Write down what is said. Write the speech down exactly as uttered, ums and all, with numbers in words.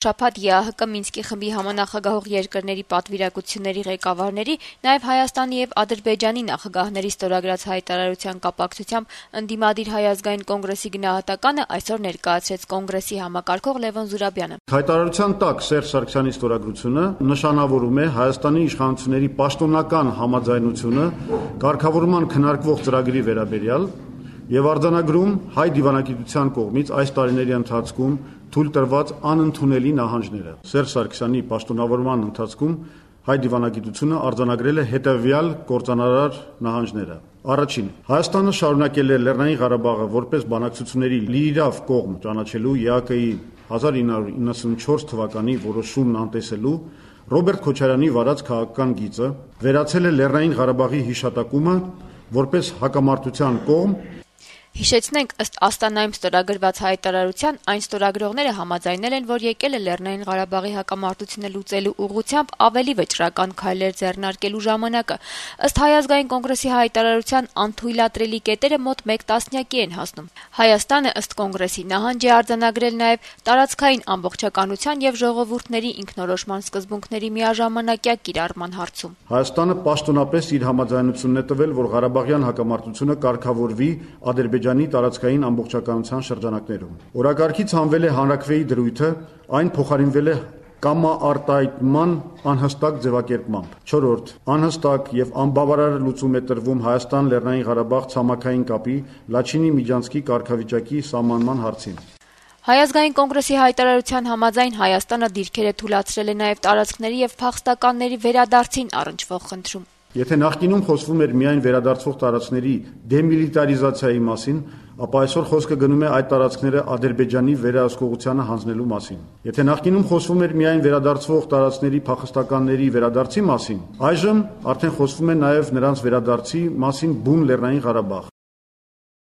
Շաբաթ ԵԱՀԿ Մինսկի խմբի համանախագահող երկրների պատվիրակությունների ղեկավարների, նաև Հայաստանի եւ Ադրբեջանի նախագահների ստորագրած հայտարարության կապակցությամբ ընդդիմադիր Հայ ազգային կոնգրեսի գնահատականը այսօր ներկայացրեց կոնգրեսի համակարգող Լևոն Զուրաբյանը։ Հայտարարության տակ Սերժ Սարգսյանի ստորագրությունը նշանավորում է Հայաստանի իշխանությունների պաշտոնական համաձայնությունը կարգավորման քննարկվող ծրագրի վերաբերյալ եւ արձանագրում հայ դիվանագիտության կողմից այս տարիների ընթացքում թույլ տրված անընդունելի նահանջները։ Սերժ Սարգսյանի պաշտոնավորման ընթացքում հայ դիվանագիտությունը արձանագրել է հետևյալ կործանարար նահանջները։ Առաջին, Հայաստանը շարունակել է Լեռնային Ղարաբաղը որպես բանակցությունների լիիրավ կողմ ճանաչելու ԵԱՀԿ-ի հազար ինը հարյուր իննսունչորս թվականի որոշումն անտեսելու Ռոբերտ Քոչարյանի վարած քաղաքական գիծը, վերացել է Լեռնային Ղարաբաղի հիշատակումը որպես հակամարտության կողմ։ Հիշեցնենք, ըստ Աստանայում ստորագրված հայտարարության, այն ստորագրողները համաձայնել են, որ եկել է Լեռնային Ղարաբաղի հակամարտությունը լուծելու ուղղությամբ ավելի վճռական քայլեր ձեռնարկելու ժամանակը։ Ըստ Հայ ազգային կոնգրեսի հայտարարության, անթույլատրելի կետերը մոտ մեկ տասնյակի են հասնում։ Հայաստանը, ըստ կոնգրեսի, նահանջ է արձանագրել նաև տարածքային ամբողջականության եւ ժողովուրդների ինքնորոշման սկզբունքների միաժամանակյա կիրառման հարցում։ Հայաստանը պաշտոնապես իր համաձայնությունն է տվել, որ Ղարաբաղյան հակամարտությունը կարգավորվի Ադրբեջանի տարածքային ամբողջականության շրջանակներում։ Օրակարգից հանվել է հանրաքվեի դրույթը, այն փոխարինվել է կամաարտահայտման անհստակ ձևակերպմամբ։ Չորրորդ, անհստակ եւ անբավարար լուծում է տրվում Հայաստան-Լեռնային Ղարաբաղ ցամաքային կապի Լաչինի միջանցքի կարգավիճակի սահմանման հարցին։ Հայ ազգային կոնգրեսի հայտարարության համաձայն Հայաստանը դիրքեր է թույլատրել է նաև տարածքների եւ փախստականների վերադարձին առնչվող խնդրում։ Եթե նախկինում խոսվում էր միայն վերադարձվող տարածքների դեմիլիտարիզացիայի մասին, ապա այսօր խոսքը գնում է այդ տարածքները Ադրբեջանի վերահսկողությանը հանձնելու մասին։ Եթե նախկինում խոսվում էր միայն վերադարձվող տարածքների փախստականների վերադարձի մասին, այժմ արդեն խոսվում է նաև նրանց վերադարձի մասին բուն Լեռնային Ղարաբաղ։